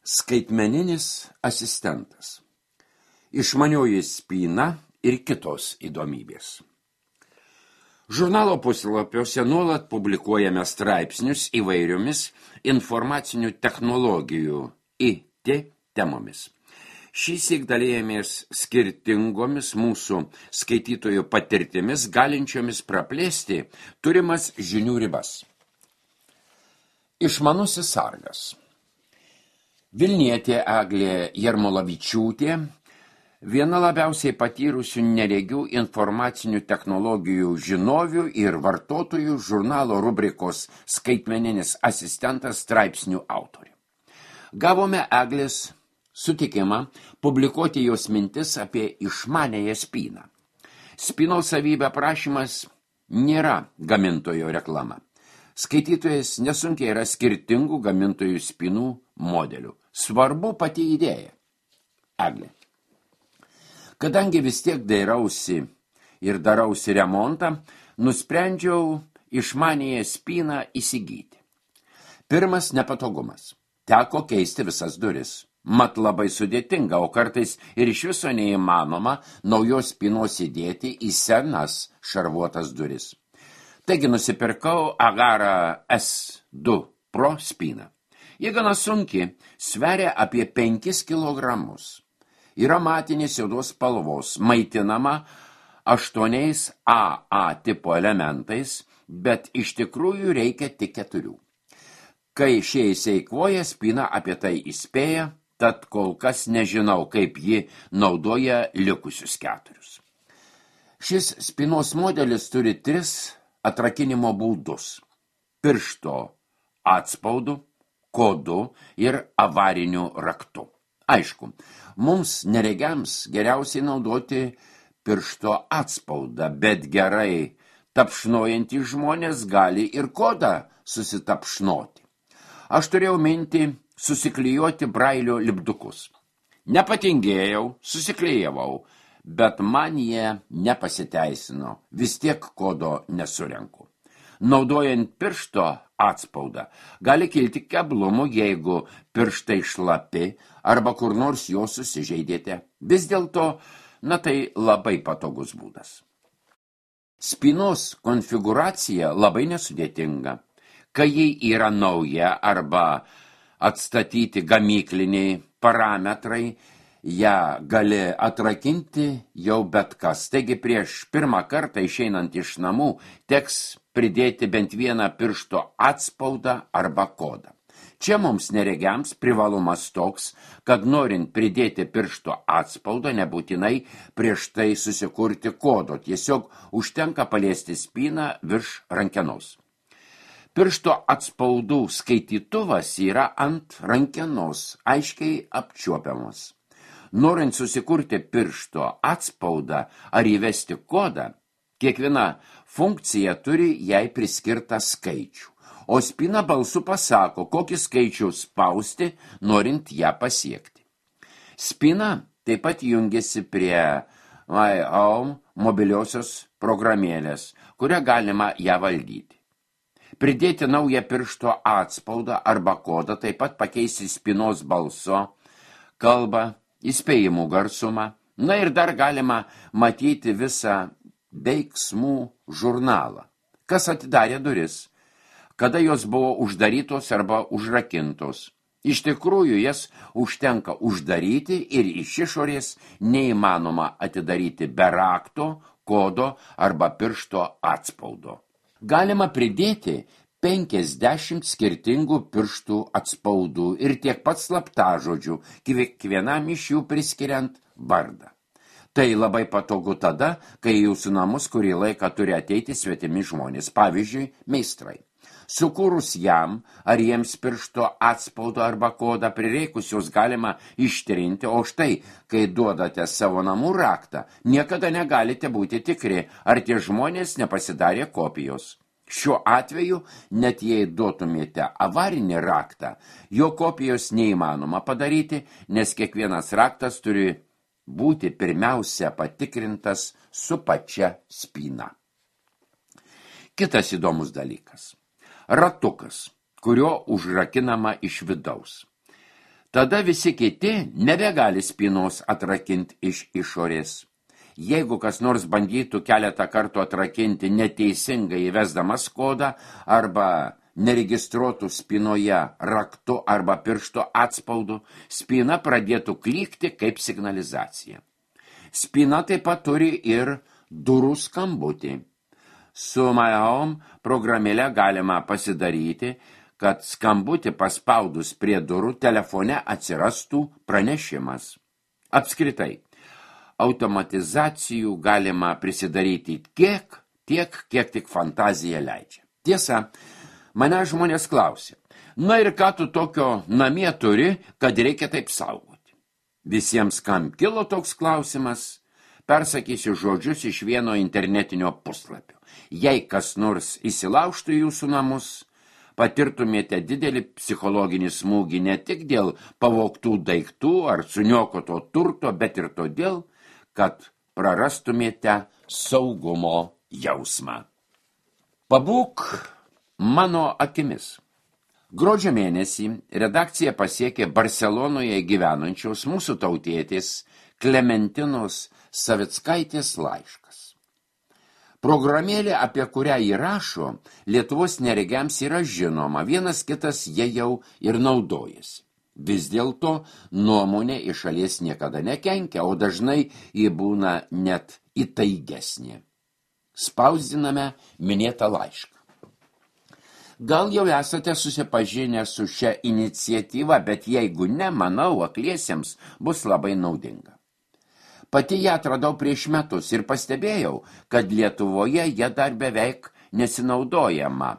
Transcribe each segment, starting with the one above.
Skaitmeninis asistentas. Išmanioji spyna ir kitos įdomybės. Žurnalo puslapiuose nuolat publikuojame straipsnius įvairiomis informacinių technologijų IT temomis. Šįsyk dalijamės skirtingomis mūsų skaitytojų patirtimis, galinčiomis praplėsti turimas žinių ribas. Išmanusis sargas. Vilnietė Eglė Jarmolavičiūtė, viena labiausiai patyrusių neregių informacinių technologijų žinovių ir vartotojų žurnalo rubrikos Skaitmeninis asistentas straipsnių autorė. Gavome Eglės sutikimą publikuoti jos mintis apie išmaniąją spyną. Spynos savybė aprašymas nėra gamintojo reklama. Skaitytojas nesunkiai yra skirtingų gamintojų spynų modelių. Svarbu pati idėja. Eglė. Kadangi vis tiek dairausi ir darausi remontą, nusprendžiau išmaniąją spyną įsigyti. Pirmas nepatogumas. Teko keisti visas duris. Mat labai sudėtinga, o kartais ir iš viso neįmanoma naujos spynos įdėti į senas šarvuotas duris. Taigi nusipirkau Agara S2 Pro spyną. Ji gana sunki, sveria apie 5 kilogramus. Yra matinės juodos spalvos, maitinama 8 AA tipo elementais, bet iš tikrųjų reikia tik 4. Kai šie įseikvoja, spyna apie tai įspėja, tad kol kas nežinau, kaip ji naudoja likusius 4. Šis spynos modelis turi 3 atrakinimo būdus – piršto atspaudu, kodu ir avariniu raktu. Aišku, mums neregiams geriausiai naudoti piršto atspaudą, bet gerai tapšnojantys žmonės gali ir kodą susitapšnoti. Aš turėjau mintį susiklijuoti brailio lipdukus. Nepatingėjau, susiklijavau, bet man jie nepasiteisino, vis tiek kodo nesurenku. Naudojant piršto atspaudą gali kilti keblumų, jeigu pirštai šlapi arba kur nors jo susižeidėte. Vis dėlto, tai labai patogus būdas. Spynos konfigūracija labai nesudėtinga. Kai ji yra nauja arba atstatyti gamykliniai parametrai, ją gali atrakinti jau bet kas. Taigi prieš pirmą kartą išeinant iš namų teks pridėti bent vieną piršto atspaudą arba kodą. Čia mums neregiams privalumas toks, kad norint pridėti piršto atspaudą nebūtinai prieš tai susikurti kodo, tiesiog užtenka paliesti spyną virš rankenos. Piršto atspaudų skaitytuvas yra ant rankenos, aiškiai apčiuopiamas. Norint susikurti piršto atspaudą ar įvesti kodą, kiekviena funkcija turi jai priskirtą skaičių, o spyna balsu pasako, kokį skaičių spausti, norint ją pasiekti. Spyna taip pat jungiasi prie My Home mobiliosios programėlės, kurią galima ją valdyti. Pridėti naują piršto atspaudą arba kodą, taip pat pakeisti spynos balso, kalbą, įspėjimų garsumą. Ir dar galima matyti visą veiksmų žurnalą. Kas atidarė duris, kada jos buvo uždarytos arba užrakintos. Iš tikrųjų, jas užtenka uždaryti ir iš išorės neįmanoma atidaryti be rakto, kodo arba piršto atspaudo. Galima pridėti 50 skirtingų pirštų atspaudų ir tiek pat slaptažodžių, kiekvienam iš jų priskiriant vardą. Tai labai patogu tada, kai jūsų namus kurį laiką turi ateiti svetimi žmonės, pavyzdžiui, meistrai. Sukūrus jam ar jiems piršto atspaudo arba kodą prireikus jos galima ištrinti, o štai, kai duodate savo namų raktą, niekada negalite būti tikri, ar tie žmonės nepasidarė kopijos. Šiuo atveju, net jei duotumėte avarinį raktą, jo kopijos neįmanoma padaryti, nes kiekvienas raktas turi būti pirmiausia patikrintas su pačia spyna. Kitas įdomus dalykas. Ratukas, kurio užrakinama iš vidaus. Tada visi kiti nebegali spynos atrakinti iš išorės. Jeigu kas nors bandytų keletą kartų atrakinti neteisingai įvesdamas kodą arba neregistruotų spynoje raktu arba piršto atspaudu, spyna pradėtų klykti kaip signalizacija. Spyna taip pat turi ir durų skambutį. Su My Home programėle galima pasidaryti, kad skambutį paspaudus prie durų telefone atsirastų pranešimas. Apskritai, automatizacijų galima prisidaryti tiek, kiek tik fantazija leidžia. Tiesa, mane žmonės klausė, na ir ką tu tokio namie turi, kad reikia taip saugoti? Visiems, kam kilo toks klausimas, persakysiu žodžius iš vieno internetinio puslapio. Jei kas nors įsilaužtų jūsų namus, patirtumėte didelį psichologinį smūgį ne tik dėl pavogtų daiktų ar suniokoto turto, bet ir todėl, kad prarastumėte saugumo jausmą. Pabūk mano akimis. Gruodžio mėnesį redakcija pasiekė Barselonoje gyvenančios mūsų tautietės Klementinos Savickaitės laiškas. Programėlė, apie kurią įrašo, Lietuvos neregiams yra žinoma, vienas kitas jie jau ir naudojasi. Vis dėlto nuomonė iš šalies niekada nekenkia, o dažnai ji būna net įtaigesnė. Spausdiname minėtą laišką. Gal jau esate susipažinę su šia iniciatyva, bet jeigu ne, manau, akliesiems bus labai naudinga. Pati ją atradau prieš metus ir pastebėjau, kad Lietuvoje jie dar beveik nesinaudojama.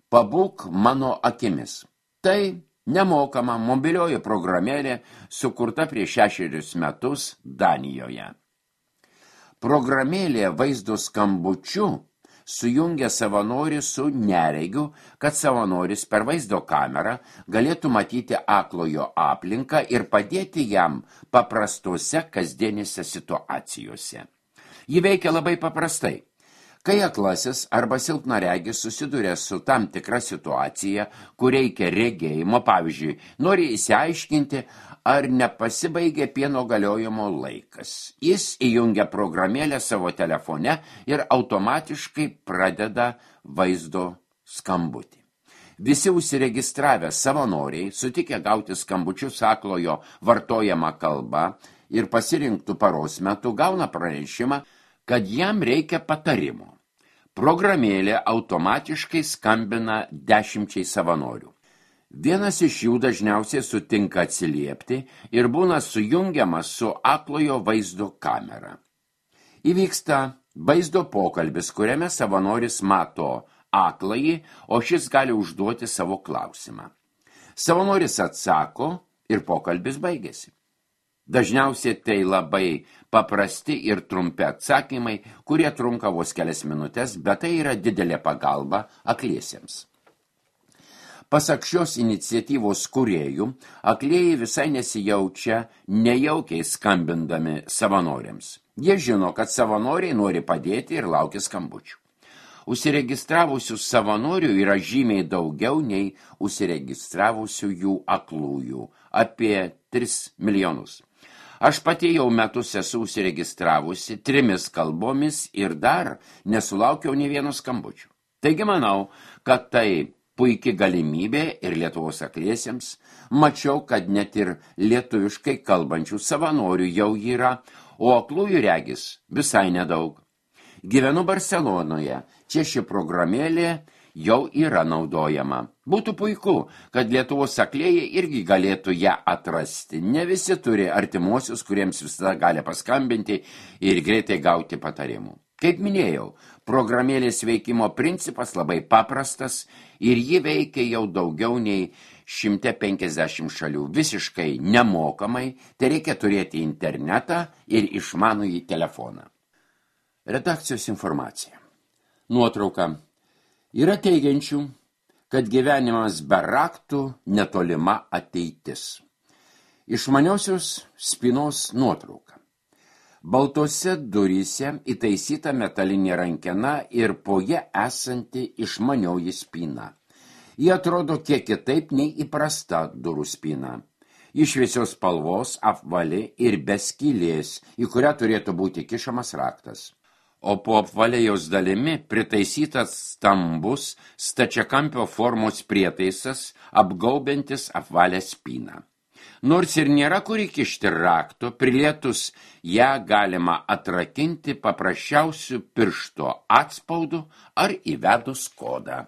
Pabūk mano akimis. Tai nemokama mobilioji programėlė, sukurta prieš 6 metus Danijoje. Programėlė vaizdo skambučiu sujungia savanorį su neregiu, kad savanoris per vaizdo kamerą galėtų matyti aklojo aplinką ir padėti jam paprastose kasdienėse situacijose. Ji veikia labai paprastai. Kai aklasis arba silpnaregis susiduria su tam tikra situacija, kur reikia regėjimo, pavyzdžiui, nori įsiaiškinti, ar nepasibaigė pieno galiojimo laikas. Jis įjungia programėlę savo telefone ir automatiškai pradeda vaizdo skambutį. Visi užsiregistravę savanoriai, sutikę gauti skambučius aklojo vartojama kalba ir pasirinktų paros metu, gauna pranešimą, kad jam reikia patarimo. Programėlė automatiškai skambina 10 savanorių. Vienas iš jų dažniausiai sutinka atsiliepti ir būna sujungiamas su aklojo vaizdo kamera. Įvyksta vaizdo pokalbis, kuriame savanoris mato akląjį, o šis gali užduoti savo klausimą. Savanoris atsako ir pokalbis baigėsi. Dažniausiai tai labai paprasti ir trumpi atsakymai, kurie trunka vos kelias minutės, bet tai yra didelė pagalba akliesiems. Pasak šios iniciatyvos kūrėjų, aklieji visai nesijaučia nejaukiai skambindami savanoriams. Jie žino, kad savanoriai nori padėti ir laukia skambučių. Užsiregistravusių savanorių yra žymiai daugiau nei užsiregistravusių jų aklųjų, apie 3 milijonus. Aš pati jau metus esu užsiregistravusi 3 kalbomis ir dar nesulaukiau nė vieno skambučių. Taigi manau, kad tai puiki galimybė ir Lietuvos akliesiems. Mačiau, kad net ir lietuviškai kalbančių savanorių jau yra, o aklųjų regis visai nedaug. Gyvenu Barselonoje, čia ši programėlė jau yra naudojama. Būtų puiku, kad Lietuvos aklieji irgi galėtų ją atrasti. Ne visi turi artimuosius, kuriems visada gali paskambinti ir greitai gauti patarimų. Kaip minėjau, programėlės veikimo principas labai paprastas ir ji veikia jau daugiau nei 150 šalių visiškai nemokamai, tai reikia turėti internetą ir išmanųjį telefoną. Redakcijos informacija. Nuotrauka. Yra teigiančių, kad gyvenimas be raktų netolima ateitis. Išmaniosios spynos nuotrauka. Baltose duryse įtaisyta metalinė rankena ir po ją esanti išmanioji spyna. Ji atrodo kiek kitaip nei įprasta durų spyna. Iš šviesios spalvos, apvali ir be skylės, į kurią turėtų būti kišamas raktas. O po apvalėjos dalimi pritaisytas stambus stačiakampio formos prietaisas, apgaubiantis apvalę spyną. Nors ir nėra kur įkišti rakto, prilietus ją galima atrakinti paprasčiausiu piršto atspaudu ar įvedus kodą.